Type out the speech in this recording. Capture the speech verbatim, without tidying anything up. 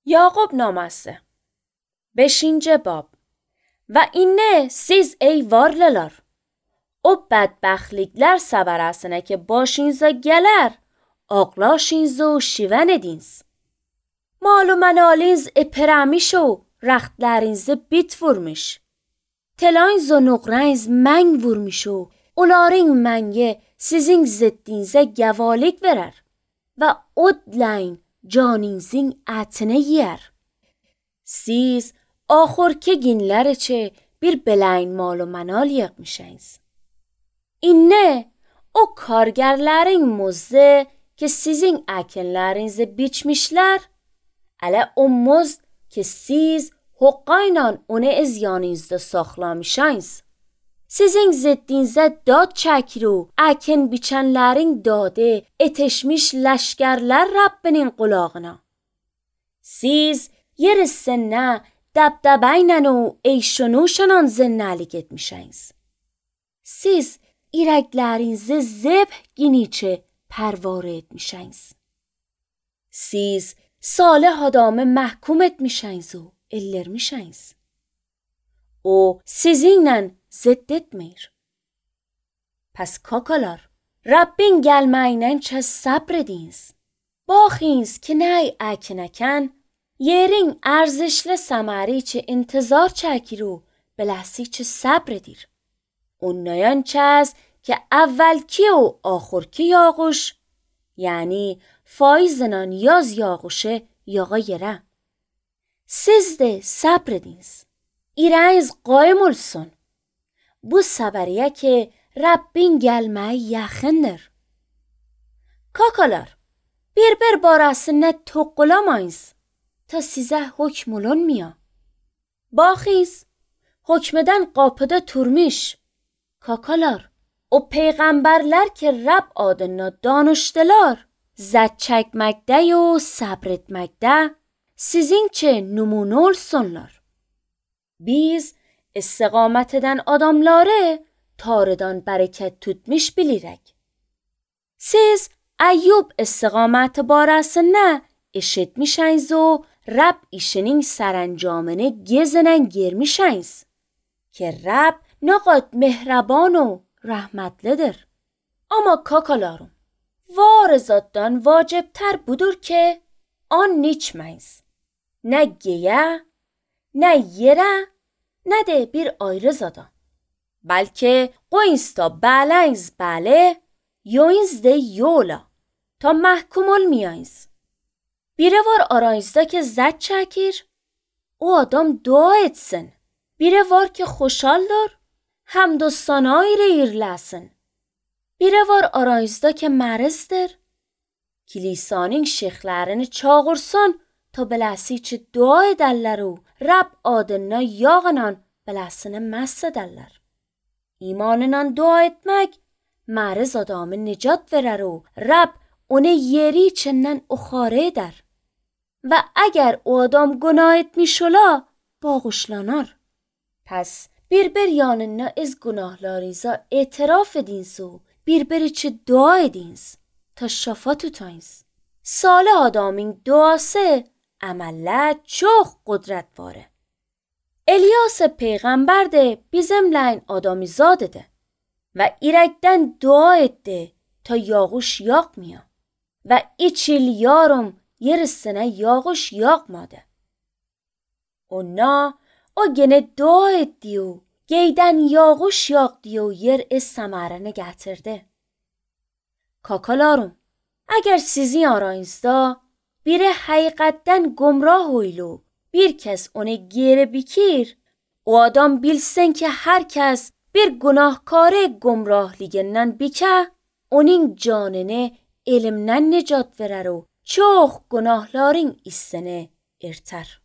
Yakup namazı beşinci bab. Ve inne siz ey varlılar, o bedbəxtliklər səbərəsinə ki başınıza gələr, ağlaşınızı şiven ediniz. Mal و mənaliniz epirəmiş o rəxtlərinizi bit vurmuş. Telayınız و nöqrəniz məng vurmuş o onların məngi sizin ziddinizə gəvalik verər və odləyin canınızın ətini yer. Siz axırki günlər üçün bir beləyin mal و mənal yığmışsınız. İnne o kargərlərin muzdu ki sizin əkinlərinizi biçmişlər, ələ o muzd ki siz haqqayla onu öz yanınızda saxlamışsınız. Sizin ziddinizə dad çəkir o əkin biçənlərin dadı etişmiş ləşkərlər Rəbbinin qulağına. Siz yer üstünə dəbdəbəylə o eyşunuşla zənnəlik etmişsiniz. Siz irəklərinizi zebh giniçi pərvare etmişsiniz. Siz salih adamı məhkum etmişsiniz o ellərmişsiniz. O sizinlə zidd etmir. Pəs kakalar, Rəbbin gəlməyinə çəz səbr ediniz. Baxınız ki nəy əkinəkən, yerin ərzişli səməri çi intizar çəkir o beləsi çi səbr edir. Ondan çəz ki əvvəlki o axırki yağış, yəni faizlə yaz yağışı yağa yerə. Siz də səbr ediniz. İrəniz qaim olsun. Bu səbəriyə ki Rəbbin gəlməyi yaxındır. Kakalar, bir-bir barəsində toqqulamayız ta sizə hökm olunmuyor. Baxınız, hökmədən qapıda turmuş. Kakalar, o peyğəmbərlər ki Rəbb adına danışdılar, zəd çəkməkdə yo səbr etməkdə sizin için nümunə olsunlar. Biz istiqamət edən adamları tarıdan bərəkət tutmuş bilirək. Siz Əyyub istiqaməti barəsində eşitmişsiniz o Rəbb işinin sərəncamını gezinən girmişsiniz ki Rəbb nə qədər mehraban o rəhmətlidir. Amma kakalarım, var zatdan vacibtər budur ki an içməyiz. Nə geyə, nə yerə, nə də bir ayrı zada. Bəlkə qoyunuz da bələyiz bələ, yoyunuz da yola, ta məhkum olmayayız. Biri var aranızda ki zəd çəkir, o adam dua etsin. Biri var ki xoşaldır, həmd و ثنا ilə irləsin. Biri var aranızda ki mərizdir, kilisanın şeyxlərini çağırsın ta beləsi ki dua edərlər o Rəbb adına yağla beləsini məs edərlər. İmanla dua etmək məriz adamı nicat verər o Rəbb onu yeri içindən uxarə edər. Və əgər o adam günah etmiş ola, bağışlanar. Pəs bir-bir yanına ez günahlarınıza etiraf ediniz o bir-bir için dua ediniz ta şəfa tutayınız. Salih adamın duası əməllə çox qudrət varı. İlyas peyğəmbər də bizimləyin adamizadıdır və irəkdən dua etdi ta yağış yağmıyor və üç il yarım yer üstünə yağış yağmadı. Ona o gene dua etdi o geydən yağış yağdı o yer ez səmərini gətirdi. Kakalarım, əgər sizin aranızda biri həqiqətdən gumrah oylu, bir kəs onu geri bikir, o adam bilsin ki hər kəs bir günahkarı gumrahligindən bikə, onun canını elmdən nicat verər o çox günahların istini irtər.